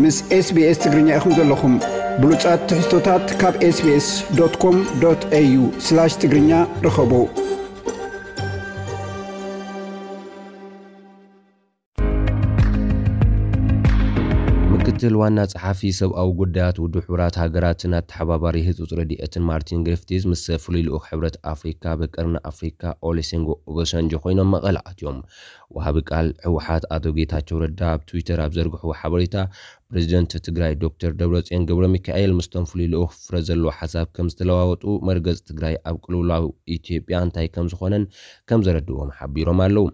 ምስ SBS ትግርኛ ኢኹም ዘለኹም። ብሉጻት ትሕዝቶታት ካብ SBS.com.au/ትግርኛ ርኸቡ። ምክትል ዋና ጸሓፊ ሰብኣዊ ጉዳያት ውድብ ሕቡራት ሃገራትን ኣተሓባባሪ ህጹጽ ረድኤትን ማርቲን ግሪፍቲዝ ምስ ፍሉይ ልኡኽ ሕብረት ኣፍሪካ ብቀርኒ ኣፍሪካ ኦሌሴንጎ ኦባሳንጆ ኮይኖም መቐለ ኣትዮም። ወሃቢ ቃል ህወሓት ኣቶ ጌታቸው ረዳ ኣብ ትዊተር ኣብ ዘርግሕዎ ሓበሬታ፣ ፕሬዚደንት ትግራይ ዶክተር ደብረጽዮን ገብረ ሚካኤል ምስቶም ፍሉይ ልኡኽ ፍረ ዘለዎ ሓሳብ ከም ዝተለዋወጡ፣ መርገጽ ትግራይ ኣብ ቅልውላው ኢትዮጵያ እንታይ ከም ዝኾነን ከም ዘረድዎም ሓቢሮም ኣለዉ።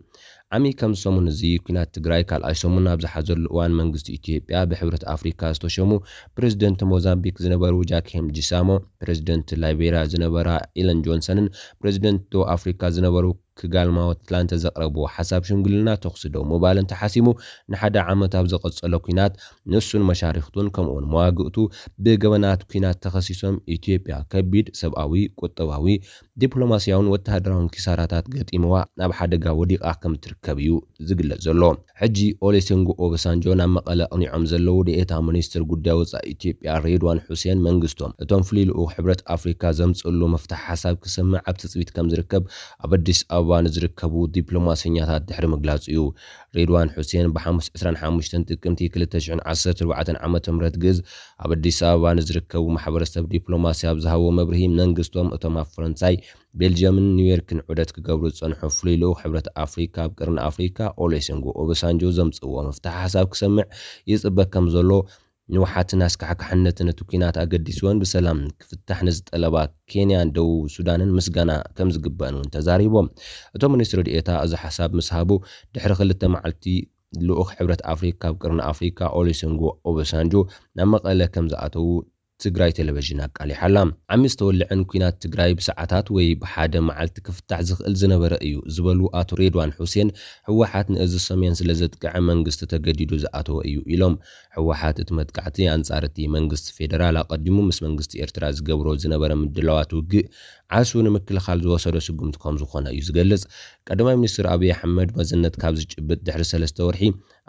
ዓሚ ከም ሰሙን እዚ ኩናት ትግራይ ካልኣይ ሰሙን ኣብ ዝሓዘሉ እዋን፣ መንግስቲ ኢትዮጵያ ብሕብረት ኣፍሪካ ዝተሸሙ ፕሬዚደንት ሞዛምቢክ ዝነበሩ ጃኪም ጂሳሞ፣ ፕሬዚደንት ላይቤሪያ ዝነበራ ኢለን ጆንሰንን ፕሬዚደንት ደቡብ ኣፍሪካ ዝነበሩ ክጋልማዎ ትላንተ ዘቕረብዎ ሓሳብ ሽምግልና ተኹሲ ደው ምባል እንተሓሲሙ ንሓደ ዓመት ኣብ ዘቐጸሎ ኲናት ንሱን መሻርክቱን ከምኡውን መዋግእቱ ብገበናት ኲናት ተኸሲሶም ኢትዮጵያ ከቢድ ሰብኣዊ፣ ቁጠባዊ፣ ዲፕሎማስያውን ወተሃደራውን ኪሳራታት ገጢምዋ ናብ ሓደጋ ወዲቓ ከም ትርከብ እዩ ዝግለጽ ዘሎ። ሕጂ ኦሌሴንጎ ኦባሳንጆ ናብ መቐለ ኣቕኒዖም ዘለዉ ደኤታ ሚኒስትር ጉዳይ ወጻኢ ኢትዮጵያ ሬድዋን ሑሴን መንግስቶም እቶም ፍሉይ ልኡኽ ሕብረት ኣፍሪካ ዘምጽእሉ ምፍታሕ ሓሳብ ክሰምዕ ኣብ ትጽቢት ከም ዝርከብ ኣብ ኣዲስ ኣበባ ንዝርከቡ ዲፕሎማሰኛታት ድሕሪ ምግላጹ እዩ። ሬድዋን ሑሴን ብሓሙስ ዕስራን ሓሙሽተን ጥቅምቲ ክልተ ሽሕን ዓሰርተ ኣርባዕተን ዓመተ ምህረት ግእዝ ኣብ ኣዲስ ኣበባ ንዝርከቡ ማሕበረሰብ ዲፕሎማሲ ኣብ ዝሃቦ መብርሂ መንግስቶም እቶም ኣብ ፈረንሳይ ቤልጅየምን ኒውዮርክን ዑደት ክገብሩ ዝጸንሑ ፍሉይ ልኡኽ ሕብረት ኣፍሪካ ኣብ ቀርኒ ኣፍሪካ ኦሌሴንጎ ኦባሳንጆ ዘምጽእዎ ምፍታሕ ሓሳብ ክሰምዕ ይጽበ ከም ዘሎ፣ ንውሓትን ኣስካሕካሕነትን እቲ ኲናት ኣገዲስወን ብሰላም ክፍታሕ ንዝጠለባ ኬንያን ደቡብ ሱዳንን ምስጋና ከም ዝግበእን እውን ተዛሪቦም። እቶም ሚኒስትር ዲኤታ እዚ ሓሳብ ምስ ሃቡ ድሕሪ ክልተ መዓልቲ ልኡኽ ሕብረት ኣፍሪካ ኣብ ቀርኒ ኣፍሪካ ኦሌሴንጎ ኦባሳንጆ ናብ መቐለ ከም ዝኣተዉ ትግራይ ቴሌቪዥን ኣቃሊሓ ኣላ። ዓሚ ዝተወልዐን ኲናት ትግራይ ብሰዓታት ወይ ብሓደ መዓልቲ ክፍታሕ ዝኽእል ዝነበረ እዩ ዝበሉ ኣቶ ሬድዋን ሑሴን፣ ህወሓት ንእዚ ሰሜን ስለ ዘጥቅዐ መንግስቲ ተገዲዱ ዝኣተወ እዩ ኢሎም። ህወሓት እቲ መጥቃዕቲ ኣንጻር እቲ መንግስቲ ፌደራል ኣቐዲሙ ምስ መንግስቲ ኤርትራ ዝገብሮ ዝነበረ ምድላዋት ውግእ ዓስቡ ንምክልኻል ዝወሰዶ ስጉምቲ ከም ዝኾነ እዩ ዝገልጽ። ቀዳማይ ሚኒስትር ኣብይ ኣሕመድ መዝነት ካብ ዝጭብጥ ድሕሪ ሰለስተ ወርሒ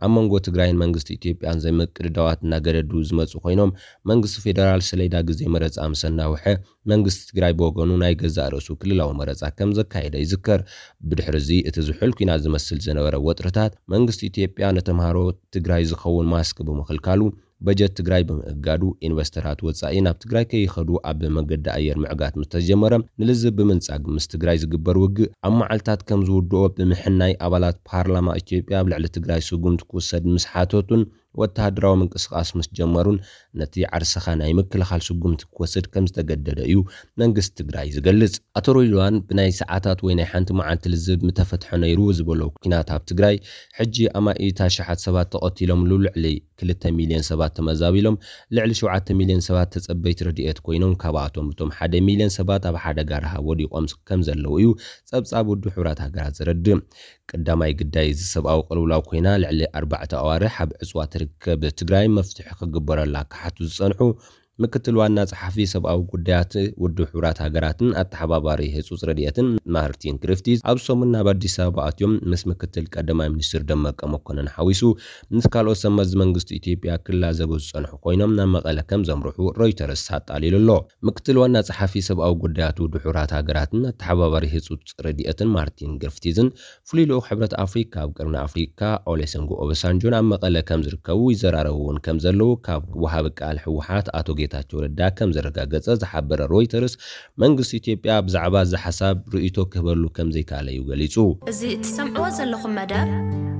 ኣብ መንጎ ትግራይን መንግስቲ ኢትዮጵያን ዘይምቅድዳዋት እናገደዱ ዝመፁ ኮይኖም፣ መንግስቲ ፌደራል ሰሌዳ ግዜ መረፃ ምስ ኣናውሐ፣ መንግስቲ ትግራይ ብወገኑ ናይ ገዛእ ርእሱ ክልላዊ መረፃ ከም ዘካየደ ይዝከር። ብድሕሪ እዚ እቲ ዝሑል ኲናት ዝመስል ዝነበረ ወጥርታት፣ መንግስቲ ኢትዮጵያ ንተምሃሮ ትግራይ ዝኸውን ማስክ ብምኽልካሉ፣ በጀት ትግራይ ብምእጋዱ፣ ኢንቨስተራት ወፃኢ ናብ ትግራይ ከይኸዱ ኣብ መገዲ ኣየር ምዕጋት ምስ ተጀመረ፣ ንልዝብ ብምንጻግ ምስ ትግራይ ዝግበር ውግእ ኣብ መዓልታት ከም ዝውድኦ ብምሕናይ፣ ኣባላት ፓርላማ ኢትዮጵያ ኣብ ልዕሊ ትግራይ ስጉምቲ ክውሰድ ምስ ሓተቱን ወተሃደራዊ ምንቅስቓስ ምስ ጀመሩን፣ ነቲ ዓርስኻ ናይ ምክልኻል ስጉምቲ ክወስድ ከም ዝተገደደ እዩ መንግስቲ ትግራይ ዝገልጽ። ኣቶ ሬድዋን፣ ብናይ ሰዓታት ወይ ናይ ሓንቲ መዓልቲ ልዝብ ምተፈትሐ ነይሩ ዝበሎ ኲናት ኣብ ትግራይ፣ ሕጂ ኣማኢት ኣሽሓት ሰባት ተቐቲሎምሉ፣ ልዕሊ ክልተ ሚልዮን ሰባት ተመዛቢሎም፣ ልዕሊ ሸውዓተ ሚልዮን ሰባት ተጸበይቲ ረድኤት ኮይኖም፣ ካብኣቶም እቶም ሓደ ሚልዮን ሰባት ኣብ ሓደጋ ረሃብ ወዲቖም ከም ዘለዉ እዩ ጸብጻብ ውድብ ሕቡራት ሃገራት ዘረድእ። ቀዳማይ ግዳይ እዚ ሰብኣዊ ቅልውላው ኮይና፣ ልዕሊ ኣርባዕተ ኣዋርሕ ኣብ ዕጽዋ ትርከብ ትግራይ መፍትሒ ክግበረላ ክሓቱ ዝጸንሑ ምክትል ዋና ጸሓፊ ሰብኣዊ ጉዳያት ውድብ ሕቡራት ሃገራትን ኣተሓባባሪ ህጹጽ ረድኤትን ማርቲን ግሪፍቲዝ፣ ኣብ ሰሙን ናብ ኣዲስ ኣበባ ኣትዮም ምስ ምክትል ቀዳማይ ሚኒስትር ደመቀ መኮንን ሓዊሱ ምስ ካልኦት ሰብ መዚ መንግስቲ ኢትዮጵያ ክላዘቡ ዝጸንሑ ኮይኖም፣ ናብ መቐለ ከም ዘምርሑ ሮይተርስ ኣጣሊሉ ኣሎ። ምክትል ዋና ጸሓፊ ሰብኣዊ ጉዳያት ውድብ ሕቡራት ሃገራትን ኣተሓባባሪ ህጹጽ ረድኤትን ማርቲን ግሪፍቲዝን ፍሉይ ልኡኽ ሕብረት ኣፍሪካ ኣብ ቀርኒ ኣፍሪካ ኦሌሰንጎ ኦባሳንጆን ኣብ መቐለ ከም ዝርከቡ ይዘራረቡ እውን ከም ዘለዉ ካብ ወሃቢ ቃል ህወሓት ኣቶ ጌታቸው ረዳ ከም ዘረጋገጸ ዝሓበረ ሮይተርስ፣ መንግስቲ ኢትዮጵያ ብዛዕባ እዚ ሓሳብ ርእይቶ ክህበሉ ከም ዘይከኣለ እዩ ገሊጹ። እዚ እትሰምዕዎ ዘለኹም መደብ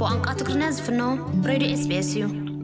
ብቋንቋ ትግርኛ ዝፍኖ ሬድዮ ኤስቢኤስ እዩ።